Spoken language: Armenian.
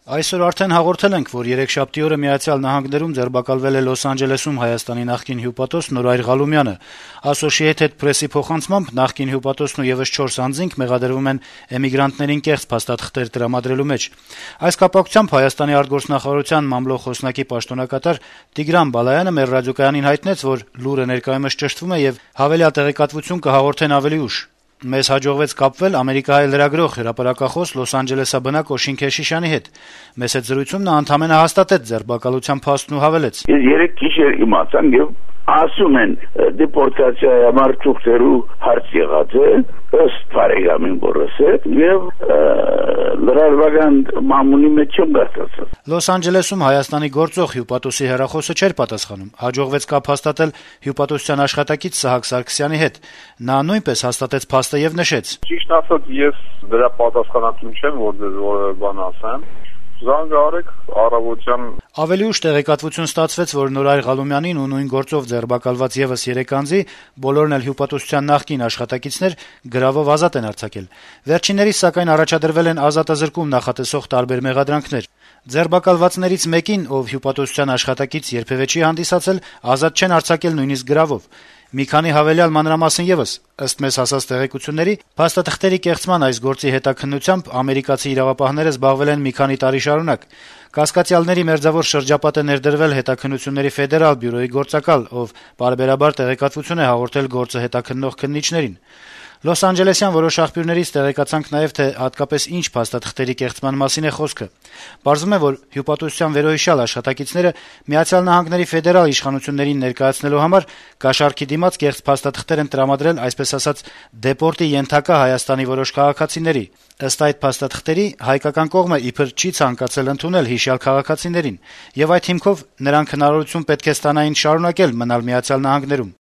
Այսօր արդեն հաղորդել ենք, որ երեքշաբթի օրը Միացյալ Նահանգներում ձերբակալվել է Լոս Անջելեսում Հայաստանի նախկին հյուպատոս Նորայր Ղալումյանը։ Associated Press-ի փոխանցմամբ նախկին հյուպատոսն ու եւս 4 անձինք մեղադրվում են էմիգրանտներին կեղծ փաստաթղթեր տրամադրելու մեջ։ Այս կապակցությամբ Հայաստանի արտգործնախարարության մամլո խոսնակի պաշտոնակատար Տիգրան Բալայանը մեր ռադիոկայանին հայտնեց, որ լուրը ներկայումս ճշտվում է եւ հավելյալ տեղեկատվություն կհաղորդեն ավելի ուշ։ Մեզ հաջողվեց կապվել Ամերիկայի լրագրող հրապարակախոս Լոս Անջելեսաբնակ Օշին Քեշիշյանի հետ։ Մեծ հետ զրույցում նա ընդամենը հաստատեց ձերբակալության փաստն ու հավելեց. Ես երեք գիշեր իմացան եւ ասում են դեպորտացիայի համար ծուղտերու հարց եղած է ըստ բարեկամին որս է եւ լրարվական մամունի մեջ չեմ գտածած։ Լոս Անջելեսում Հայաստանի գործող հյուպատոսի հեռախոսը չէր պատասխանում։ Հաջողվեց կապ հաստատել հյուպատոսության աշխատակից Սահակ Սարգսյանի հետ։ Նա նույնպես հաստատեց փաստը եւ նշեց. Ճիշտ ասած, ես դրա պատասխանատու չեմ, որ դες որը բան ասեմ։ Զանգարեք առավոտյան Ավելի ուշ տեղեկատվություն ստացվեց, որ Նորայր Ղալումյանին ու նույն գործով ձերբակալված եւս 3 անձի, բոլորն էլ հյուպատոսության նախկին աշխատակիցներ, գրավով ազատ են արձակել։ Վերջիններիս սակայն առաջադրվել են ազատազրկում նախատեսող տարբեր մեղադրանքներ։ Ձերբակալվածներից մեկին, ով հյուպատոսության աշխատակից երբևէ չի հանդիսացել, ազատ չեն արձակել նույնիսկ գրավով։ Մի քանի հավելյալ մանրամասն եւս, ըստ մեզ հասած տեղեկությունների, փաստաթղթերի կեղծման այս գործի հետաքննությամբ ամերիկացի իրավապահները զբաղվել են մի քանի տարի շարունակ։ Կասկածյալների մերձավոր շրջապատ է ներդրվել հետաքննությունների ֆեդերալ բյուրոյի գործակալ, ով պարբերաբար տեղեկատվություն է հաղորդել գործը հետաքննող քննիչներին։ Լոս Անջելեսյան որոշ աղբյուրներից տեղեկացանք նաև, թե հատկապես ինչ փաստաթղթերի կեղծման մասին է խոսքը։ Պարզվում է, որ հյուպատոսության վերոհիշյալ աշխատակիցները Միացյալ Նահանգների ֆեդերալ իշխանություններին ներկայացնելու համար կաշառքի դիմաց կեղծ փաստաթղթեր են տրամադրել, այսպես ասած, դեպորտի ենթակա Հայաստանի որոշ քաղաքացիների։ Ըստ այդ փաստաթղթերի հայկական կողմը իբր չի ցանկացել ընդունել հիշյալ քաղաքացիներին, եւ այդ հիմքով նրանք հնարավորություն պետք է ստանային շարունակել մնալ Միացյալ Նահանգներում։